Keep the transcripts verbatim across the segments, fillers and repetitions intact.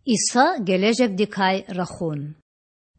Иса гележегдикай рахун.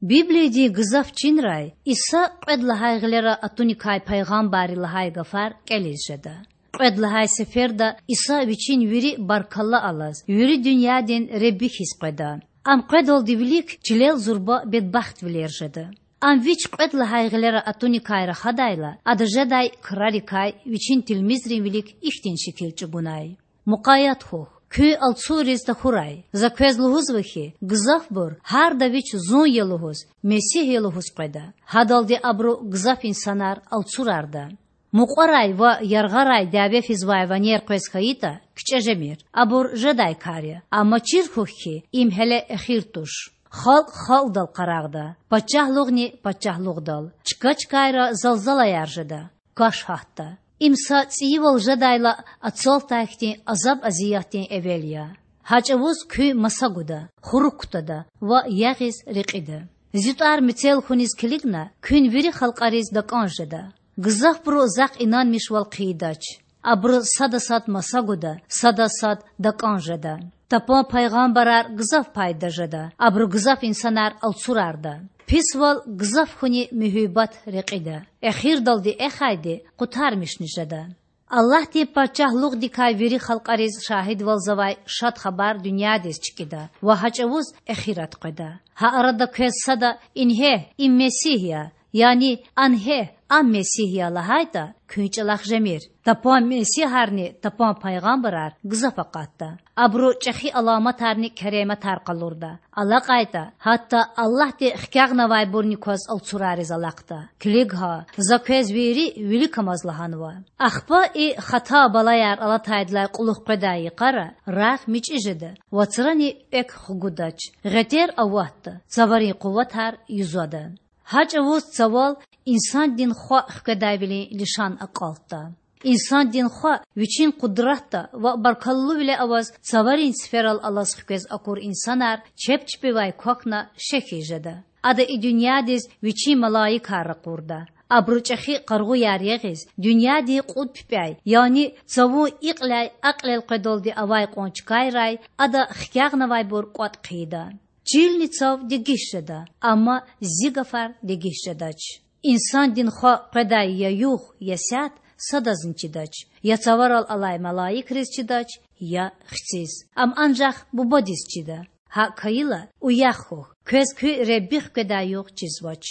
Библиядин гзаф чинрай Иса кьвед лагьай гъилера атуникай пайгъамбарри лагьай гафар кІелиз жеда. Кьвед лагьай сеферда Иса Вичин вири баркалла алаз, вири дуьньядин Худа хьиз къведа. Ам къведалди вилик чилел зурба бедбахтвилер жеда. Ам Вич кьвед лагьай гъилера атуникай рахадайла, Ада жедай крарикай Вичин тилмизрин вилик ихьтин шикил чІугунай: Мукъаят хьухь, куьн алцурриз тахьурай. За квез лугьузва хьи, гзафбур, гьарда вич Зун я лугьуз, Месигь я лугьуз къведа. Гьадалди абуру гзаф инсанар алцурарда. Мукьварай ва яргъарай дяве физвай ванер къвез хьайитІа, кичІе жемир. Абур жедай кар я. Амма чир хьухь хьи, им гьеле эхир туш. Халкь халкьдал къарагъда, пачагьлугъни пачагьлугъдал. Чка-чкайра залзалаяр жеда, каш гьатда. Им са цІийивал жедайла ацалтай хьтин азаб-азиятдин эвел я. Гьа чІавуз куьн маса гуда, хурук кутада ва ягъиз рекьида. Зи тІвар мецел хьуниз килигна куьн вири халкьариз такІан жеда. Гзафбуру Захъ инанмишвал хъийидач. Абуру сада сад маса гуда, сада сад такІан жеда. Тапан пайгъамбарар гзаф пайда жеда, абуру гзаф инсанар алцурарда. Писвал гзаф хьуни муьгьуьббат рекьида. Эхирдалди эхайди къутармишни жеда. Аллагьдин Пачагьлугъдикай вири халкьариз шагьидвалзавай Шад Хабар дуьньядиз чкІида ва гьа чІавуз эхират къведа. Гьа арада квез сада: Ингье, им Месигь я! Яни: Ангье, ам Месигь я! лагьайтІа, куьн чІалахъ жемир. Тапан месигьарни тапан пайгъамбарар гзаф акъатда. Абуру чІехи аламатарни керематар къалурда. АлакьайтІа, гьатта Аллагьди хкягънавайбурни кваз алцурариз алахъда. Килиг гьа, За квез вири виликамаз лагьанва. Ахпа и хата балаяр алатайдалай кьулухъ къведай йикъара рагъ мичІи жеда, вацрани экв хгудач, гъетер аватда, цаварин къуватар юзада. Гьа чІавуз цавал Инсандин Хва хкведайвилин лишан акьалтда. Инсандин Хва Вичин къудратда ва баркаллувиле аваз цаварин циферал алаз хквез акур инсанар чеб чпивай квахьна шехьиз жеда. Ада и дуьньядиз Вичин малаикар ракъурда. Абуру чІехи къаргъуяр ягъиз, дуьньядин кьуд пипІяй, яни цавун икьиляй акьлел къведалди авай кьван чкайрай Ада хкягънавайбур кІватІ хъийида. Чилни цав дегиш жеда, амма Зи гафар дегиш жедач. Инсандин Хва къведай я югъ, я сят садазни чидач, я цаварал алай малаикриз чидач, я Хциз. Ам анжах Бубадиз чида. ГьакІ хьайила, уях хьухь, квез куь Худа хкведай югъ чизвач.